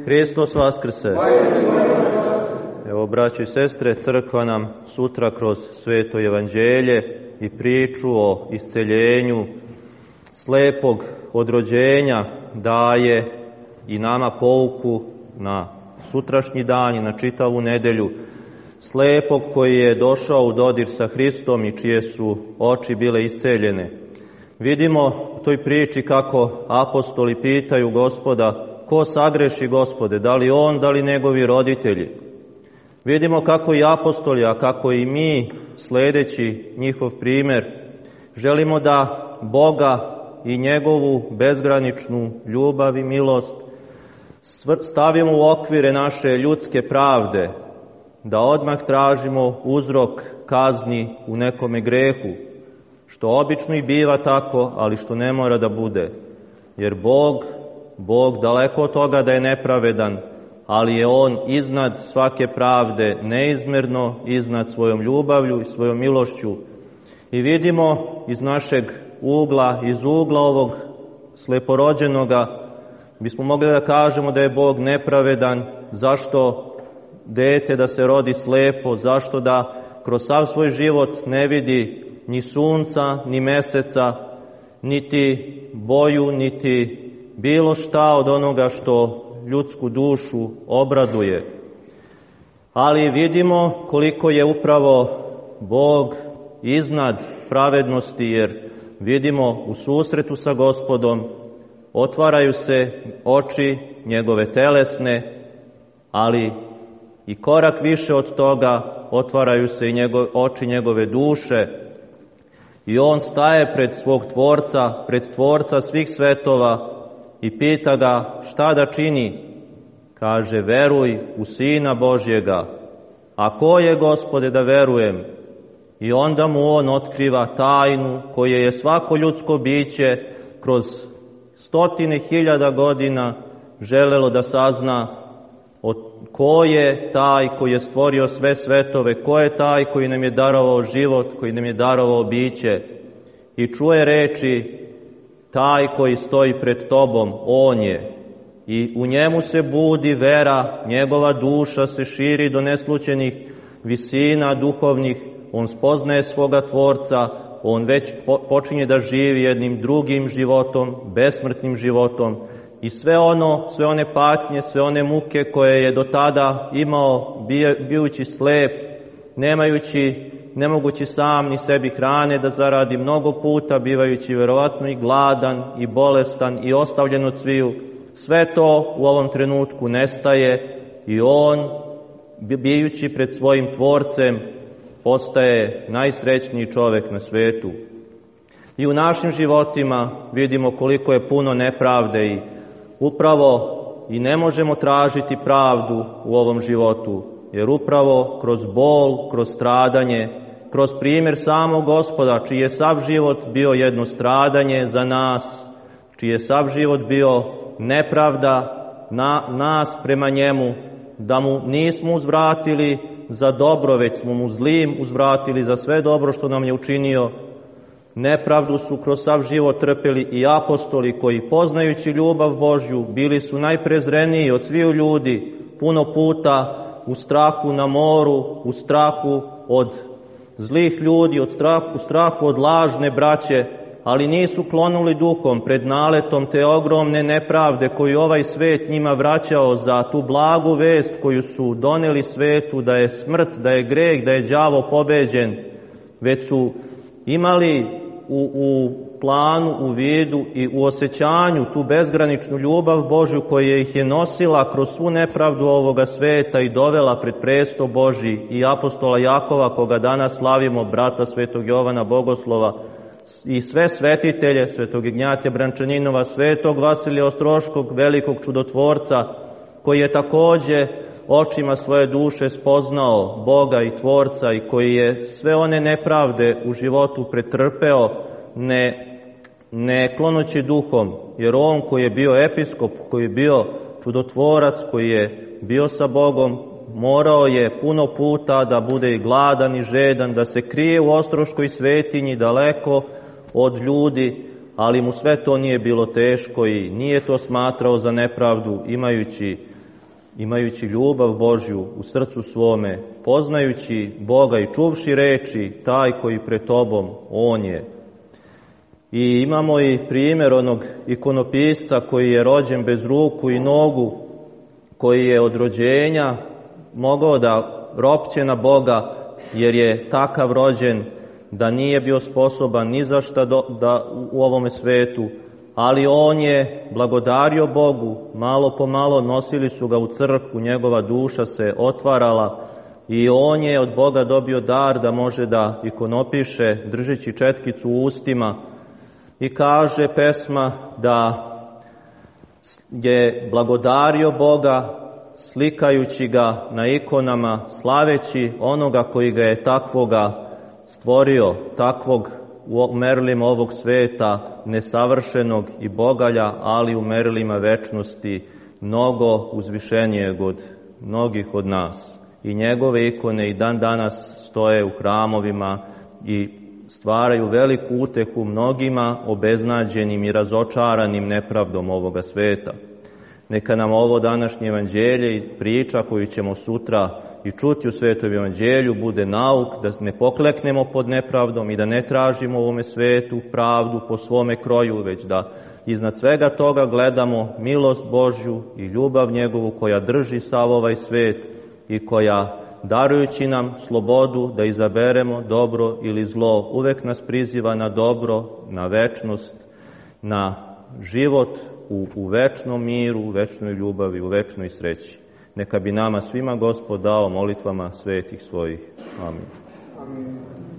Hristos vaskrse! Evo, braći i sestre, crkva nam sutra kroz sveto evanđelje i priču o isceljenju slepog od rođenja daje i nama pouku na sutrašnji dan i na čitavu nedelju. Slepog koji je došao u dodir sa Hristom i čije su oči bile isceljene. Vidimo u toj priči kako apostoli pitaju Gospoda: ko sagreši, Gospode, da li on, da li njegovi roditelji? Vidimo kako i apostoli, a kako i mi, sledeći njihov primer, želimo da Boga i njegovu bezgraničnu ljubav i milost stavimo u okvire naše ljudske pravde, da odmah tražimo uzrok kazni u nekome grehu, što obično i biva tako, ali što ne mora da bude. Jer Bog daleko od toga da je nepravedan, ali je On iznad svake pravde, neizmerno iznad svojom ljubavlju i svojom milošću. I vidimo iz našeg ugla, iz ugla ovog sleporođenoga, bismo mogli da kažemo da je Bog nepravedan, zašto dete da se rodi slepo, zašto da kroz sav svoj život ne vidi ni sunca, ni meseca, niti boju, niti bilo šta od onoga što ljudsku dušu obraduje. Ali vidimo koliko je upravo Bog iznad pravednosti, jer vidimo u susretu sa Gospodom otvaraju se oči njegove telesne, ali i korak više od toga otvaraju se i oči njegove duše i on staje pred svog Tvorca, pred Tvorca svih svetova i pita ga šta da čini. Kaže: veruj u Sina Božjega. A ko je, Gospode, da verujem? I onda mu on otkriva tajnu koje je svako ljudsko biće kroz 100.000 godina želelo da sazna, ko je taj koji je stvorio sve svetove, ko je taj koji nam je darovao život, koji nam je darovao biće. I čuje reči: taj koji stoji pred tobom, on je. I u njemu se budi vera, njegova duša se širi do neslućenih visina duhovnih, on spoznaje svoga Tvorca, on već počinje da živi jednim drugim životom, besmrtnim životom. I sve one patnje, sve one muke koje je do tada imao, bijući slep, ne mogući sam ni sebi hrane da zaradi, mnogo puta bivajući verovatno i gladan i bolestan i ostavljen od sviju, sve to u ovom trenutku nestaje i on, bijući pred svojim Tvorcem, postaje najsrećniji čovek na svetu. I u našim životima vidimo koliko je puno nepravde i upravo i ne možemo tražiti pravdu u ovom životu, jer upravo kroz bol, kroz stradanje, kroz primjer samog Gospoda, čiji je sav život bio jedno stradanje za nas, čiji je sav život bio nepravda nas prema njemu, da mu nismo uzvratili za dobro, već smo mu zlim uzvratili za sve dobro što nam je učinio. Nepravdu su kroz sav život trpeli i apostoli koji, poznajući ljubav Božju, bili su najprezreniji od sviju ljudi, puno puta u strahu na moru, u strahu od zlih ljudi, u strahu od lažne braće, ali nisu klonuli duhom pred naletom te ogromne nepravde koju ovaj svet njima vraćao za tu blagu vest koju su doneli svetu, da je smrt, da je greh, da je đavo pobeđen, već su imali u planu, u vidu i u osjećanju tu bezgraničnu ljubav Božju koja ih je nosila kroz svu nepravdu ovoga sveta i dovela pred presto Božji i apostola Jakova, koga danas slavimo, brata svetog Jovana Bogoslova, i sve svetitelje, svetog Ignjatija Brančaninova, svetog Vasilija Ostroškog, velikog čudotvorca, koji je takođe očima svoje duše spoznao Boga i Tvorca i koji je sve one nepravde u životu pretrpeo, ne klonući duhom, jer on koji je bio episkop, koji je bio čudotvorac, koji je bio sa Bogom, morao je puno puta da bude i gladan i žedan, da se krije u Ostroškoj svetinji daleko od ljudi, ali mu sve to nije bilo teško i nije to smatrao za nepravdu, imajući imajući ljubav Božju u srcu svome, poznajući Boga i čuvši reči, taj koji pred tobom, on je. I imamo i primjer onog ikonopisca koji je rođen bez ruku i nogu, koji je od rođenja mogao da ropće na Boga, jer je takav rođen da nije bio sposoban ni za šta da u ovome svetu, ali on je blagodario Bogu, malo po malo nosili su ga u crkvu, njegova duša se otvarala i on je od Boga dobio dar da može da ikonopiše držeći četkicu u ustima i kaže pesma da je blagodario Boga slikajući ga na ikonama, slaveći onoga koji ga je takvoga stvorio, takvog u merilima ovog sveta, nesavršenog i bogalja, ali u merilima večnosti mnogo uzvišenijeg od mnogih od nas. I njegove ikone i dan danas stoje u hramovima i stvaraju veliku utehu mnogima obeznađenim i razočaranim nepravdom ovoga sveta. Neka nam ovo današnje evanđelje i priča koju ćemo sutra i čuti u Svetom evanđelju bude nauk da ne pokleknemo pod nepravdom i da ne tražimo u ovome svetu pravdu po svome kroju, već da iznad svega toga gledamo milost Božju i ljubav njegovu koja drži sav ovaj svet i koja, darujući nam slobodu da izaberemo dobro ili zlo, uvek nas priziva na dobro, na večnost, na život u večnom miru, u večnoj ljubavi, u večnoj sreći. Neka bi nama svima Gospod dao molitvama svetih svojih. Amin. Amin.